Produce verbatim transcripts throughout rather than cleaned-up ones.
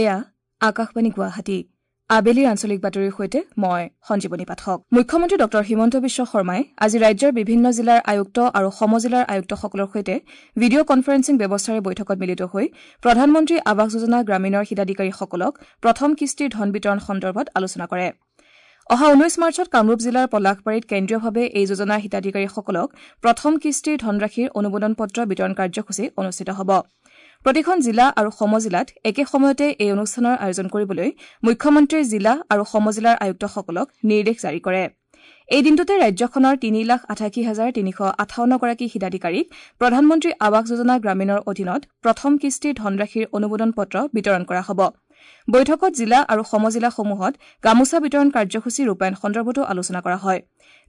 এয়া আকাশবাণী গুৱাহাটী। আবেলিৰ আঞ্চলিক বাতৰিৰ সৈতে মই সঞ্জীৱনী পাঠক। মুখ্যমন্ত্ৰী ডঃ হিমন্ত বিশ্ব শৰ্মাই আজি ৰাজ্যৰ বিভিন্ন জিলাৰ আয়ুক্ত আৰু সমজিলাৰ আয়ুক্তসকলৰ সৈতে ভিডিঅ' কনফাৰেন্সিং ব্যৱস্থাৰে বৈঠকত মিলিত হৈ প্ৰধানমন্ত্ৰী আৱাস যোজনা গ্ৰামীণৰ হিতাধিকাৰীসকলক প্ৰথম কিস্তিৰ ধন বিতৰণ সন্দৰ্ভত আলোচনা কৰে। অহা ঊনৈশ মাৰ্চত কামৰূপ জিলাৰ পলাশবাৰীত কেন্দ্ৰীয়ভাৱে এই যোজনাৰ হিতাধিকাৰীসকলক প্ৰথম কিস্তিৰ ধনৰাশিৰ অনুমোদন পত্ৰ বিতৰণ কাৰ্যসূচী অনুষ্ঠিত হ'ব। প্ৰতিখন জিলা আৰু সমজিলাত একে সময়তে এই অনুষ্ঠানৰ আয়োজন কৰিবলৈ মুখ্যমন্ত্ৰীয়ে জিলা আৰু সমজিলাৰ আয়ুক্তসকলক নিৰ্দেশ জাৰি কৰে। এই দিনটোতে ৰাজ্যখনৰ তিনি লাখ আঠাশী হাজাৰ তিনিশ আঠাৱন্নগৰাকী হিতাধিকাৰীক প্ৰধানমন্ত্ৰী আৱাস যোজনা গ্ৰামীণৰ অধীনত প্ৰথম কিস্তিৰ ধনৰাশিৰ অনুমোদন পত্ৰ বিতৰণ কৰা হ'ব। বৈঠকত জিলা আৰু সমজিলাসমূহত গামোচা বিতৰণ কাৰ্যসূচী ৰূপায়ণ সন্দৰ্ভতো আলোচনা কৰা হয়।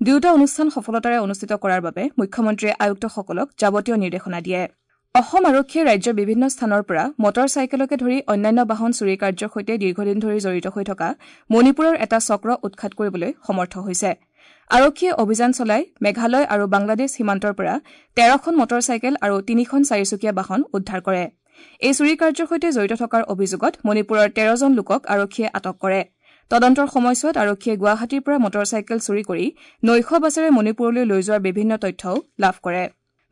দুয়োটা অনুষ্ঠান সফলতাৰে অনুষ্ঠিত কৰাৰ বাবে মুখ্যমন্ত্ৰীয়ে আয়ুক্তসকলক যাৱতীয় নিৰ্দেশনা দিয়ে। অসম আৰক্ষীয়ে ৰাজ্যৰ বিভিন্ন স্থানৰ পৰা মটৰ চাইকেলকে ধৰি অন্যান্য বাহন চুৰি কাৰ্যৰ সৈতে দীৰ্ঘদিন ধৰি জড়িত হৈ থকা মণিপুৰৰ এটা চক্ৰ উৎখাত কৰিবলৈ সমৰ্থ হৈছে। আৰক্ষীয়ে অভিযান চলাই মেঘালয় আৰু বাংলাদেশ সীমান্তৰ পৰা তেৰখন মটৰ চাইকেল আৰু তিনিখন চাৰিচকীয়া বাহন উদ্ধাৰ কৰে। এই চুৰি কাৰ্যৰ সৈতে জড়িত থকাৰ অভিযোগত মণিপুৰৰ তেৰজন লোকক আৰক্ষীয়ে আটক কৰে। তদন্তৰ সময়ছোৱাত আৰক্ষীয়ে গুৱাহাটীৰ পৰা মটৰ চাইকেল চুৰি কৰি নৈশ বাছেৰে মণিপুৰলৈ লৈ যোৱাৰ বিভিন্ন তথ্যও লাভ কৰে।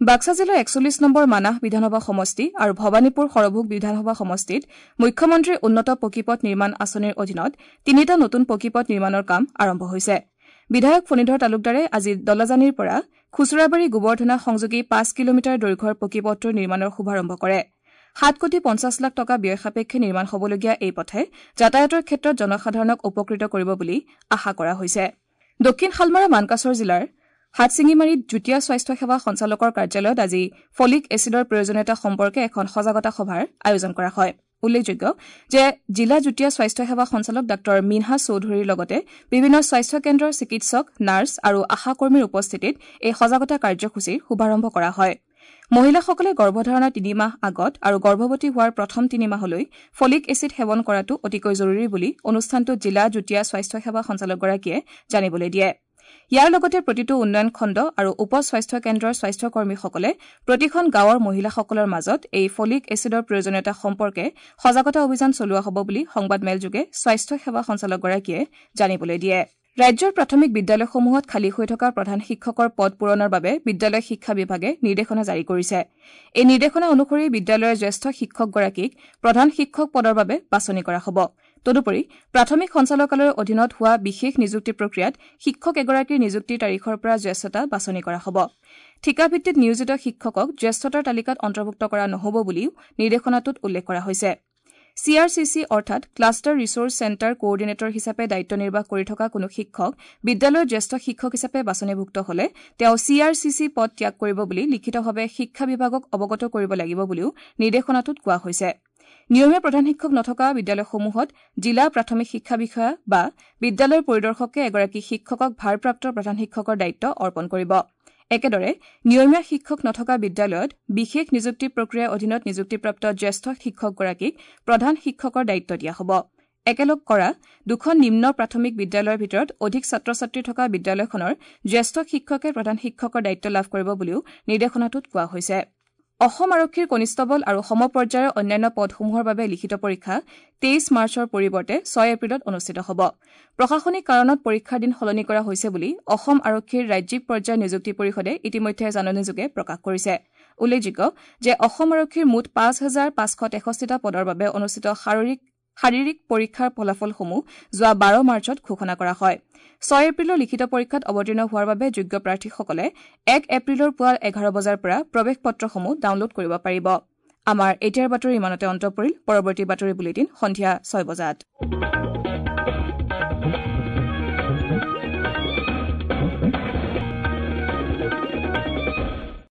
বাক্সা জিলাৰ একচল্লিছ নম্বৰ মানাহ বিধানসভা সমষ্টি আৰু ভৱানীপুৰ সৰভোগ বিধানসভা সমষ্টিত মুখ্যমন্ত্ৰীৰ উন্নত পকীপথ নিৰ্মাণ আঁচনিৰ অধীনত তিনিটা নতুন পকীপথ নিৰ্মাণৰ কাম আৰম্ভ হৈছে। বিধায়ক ফণীধৰ তালুকদাৰে আজি দলাজানীৰ পৰা খুচুৰাবাৰী গোবৰ্ধনা সংযোগী পাঁচ কিলোমিটাৰ দৈৰ্ঘ্যৰ পকীপথটোৰ নিৰ্মাণৰ শুভাৰম্ভ কৰে। সাত কোটি পঞ্চাছ লাখ টকা ব্যয় সাপেক্ষে নিৰ্মাণ হ'বলগীয়া এই পথে যাতায়াতৰ ক্ষেত্ৰত জনসাধাৰণক উপকৃত কৰিব বুলি আশা কৰা হৈছে। দক্ষিণ শালমাৰা মানকাচৰ জিলাৰ হাটশিঙিমাৰীত যুটীয়া স্বাস্থ্য সেৱা সঞ্চালকৰ কাৰ্যালয়ত আজি ফলিক এছিডৰ প্ৰয়োজনীয়তা সম্পৰ্কে এখন সজাগতা সভাৰ আয়োজন কৰা হয়। উল্লেখযোগ্য যে জিলা যুটীয়া স্বাস্থ্য সেৱা সঞ্চালক ডাঃ মিনহাজ চৌধুৰীৰ লগতে বিভিন্ন স্বাস্থ্য কেন্দ্ৰৰ চিকিৎসক, নাৰ্ছ আৰু আশাকৰ্মীৰ উপস্থিতিত এই সজাগতা কাৰ্যসূচীৰ শুভাৰম্ভ কৰা হয়। মহিলাসকলে গৰ্ভধাৰণৰ তিনিমাহ আগত আৰু গৰ্ভৱতী হোৱাৰ প্ৰথম তিনিমাহলৈ ফলিক এছিড সেৱন কৰাটো অতিকৈ জৰুৰী বুলি অনুষ্ঠানটোত জিলা যুটীয়া স্বাস্থ্য সেৱা সঞ্চালকগৰাকীয়ে জানিবলৈ দিয়ে। ইয়াৰ লগতে প্ৰতিটো উন্নয়ন খণ্ড আৰু উপ স্বাস্থ্য কেন্দ্ৰৰ স্বাস্থ্যকৰ্মীসকলে প্ৰতিখন গাঁৱৰ মহিলাসকলৰ মাজত এই ফলিক এছিডৰ প্ৰয়োজনীয়তা সম্পৰ্কে সজাগতা অভিযান চলোৱা হ'ব বুলি সংবাদমেলযোগে স্বাস্থ্য সেৱা সঞ্চালকগৰাকীয়ে জানিবলৈ দিয়ে। ৰাজ্যৰ প্ৰাথমিক বিদ্যালয়সমূহত খালী হৈ থকা প্ৰধান শিক্ষকৰ পদ পূৰণৰ বাবে বিদ্যালয় শিক্ষা বিভাগে নিৰ্দেশনা জাৰি কৰিছে। এই নিৰ্দেশনা অনুসৰি বিদ্যালয়ৰ জ্যেষ্ঠ শিক্ষকগৰাকীক প্ৰধান শিক্ষক পদৰ বাবে বাছনি কৰা হ'ব। তদুপৰি প্ৰাথমিক সঞ্চালকালয়ৰ অধীনত হোৱা বিশেষ নিযুক্তি প্ৰক্ৰিয়াত শিক্ষক এগৰাকীৰ নিযুক্তিৰ তাৰিখৰ পৰা জ্যেষ্ঠতা বাছনি কৰা হ'ব। ঠিকাভিত্তিত নিয়োজিত শিক্ষকক জ্যেষ্ঠতাৰ তালিকাত অন্তৰ্ভুক্ত কৰা নহ'ব বুলিও নিৰ্দেশনাটোত উল্লেখ কৰা হৈছে। চি আৰ চি চি অৰ্থাৎ ক্লাষ্টাৰ ৰিছ'ৰ্চ চেণ্টাৰ কোঅৰ্ডিনেটৰ হিচাপে দায়িত্ব নিৰ্বাহ কৰি থকা কোনো শিক্ষক বিদ্যালয়ৰ জ্যেষ্ঠ শিক্ষক হিচাপে বাছনিভুক্ত হলে তেওঁ চি আৰ চি চি পদ ত্যাগ কৰিব বুলি লিখিতভাৱে শিক্ষা বিভাগক অৱগত কৰিব লাগিব বুলিও নিৰ্দেশনাটোত কোৱা হৈছে। নিয়মীয়া প্ৰধান শিক্ষক নথকা বিদ্যালয়সমূহত জিলা প্ৰাথমিক শিক্ষা বিষয়া বা বিদ্যালয়ৰ পৰিদৰ্শকে এগৰাকী শিক্ষকক ভাৰপ্ৰাপ্ত প্ৰধান শিক্ষকৰ দায়িত্ব অৰ্পণ কৰিব। একেদৰে নিয়মীয়া শিক্ষক নথকা বিদ্যালয়ত বিশেষ নিযুক্তি প্ৰক্ৰিয়াৰ অধীনত নিযুক্তিপ্ৰাপ্ত জ্যেষ্ঠ শিক্ষকগৰাকীক প্ৰধান শিক্ষকৰ দায়িত্ব দিয়া হ'ব। একেলগ কৰা দুখন নিম্ন প্ৰাথমিক বিদ্যালয়ৰ ভিতৰত অধিক ছাত্ৰ ছাত্ৰী থকা বিদ্যালয়খনৰ জ্যেষ্ঠ শিক্ষকে প্ৰধান শিক্ষকৰ দায়িত্ব লাভ কৰিব বুলিও নিৰ্দেশনাটোত কোৱা হৈছে। অসম আৰক্ষীৰ কনিষ্টবল আৰু সমপৰ্যায়ৰ অন্যান্য পদসমূহৰ বাবে লিখিত পৰীক্ষা তেইছ মাৰ্চৰ পৰিৱৰ্তে ছয় এপ্ৰিলত অনুষ্ঠিত হ'ব। প্ৰশাসনিক কাৰণত পৰীক্ষাৰ দিন সলনি কৰা হৈছে বুলি অসম আৰক্ষীৰ ৰাজ্যিক পৰ্যায়ৰ নিযুক্তি পৰিষদে ইতিমধ্যে জাননীযোগে প্ৰকাশ কৰিছে। উল্লেখযোগ্য যে অসম আৰক্ষীৰ মুঠ পাঁচ হাজাৰ পাঁচশ তেষষ্ঠিটা পদৰ বাবে অনুষ্ঠিত শাৰীৰিক শাৰীৰিক পৰীক্ষাৰ ফলাফলসমূহ যোৱা বাৰ মাৰ্চত ঘোষণা কৰা হয়। ছয় এপ্ৰিলৰ লিখিত পৰীক্ষাত অৱতীৰ্ণ হোৱাৰ বাবে যোগ্য প্ৰাৰ্থীসকলে এক এপ্ৰিলৰ পুৱা এঘাৰ বজাৰ পৰা প্ৰৱেশ পত্ৰসমূহ ডাউনলোড কৰিব পাৰিব। আমাৰ এতিয়াৰ বাতৰি ইমানতে অন্ত পৰিল। পৰৱৰ্তী বাতৰি বুলেটিন সন্ধিয়া ছয় বজাত।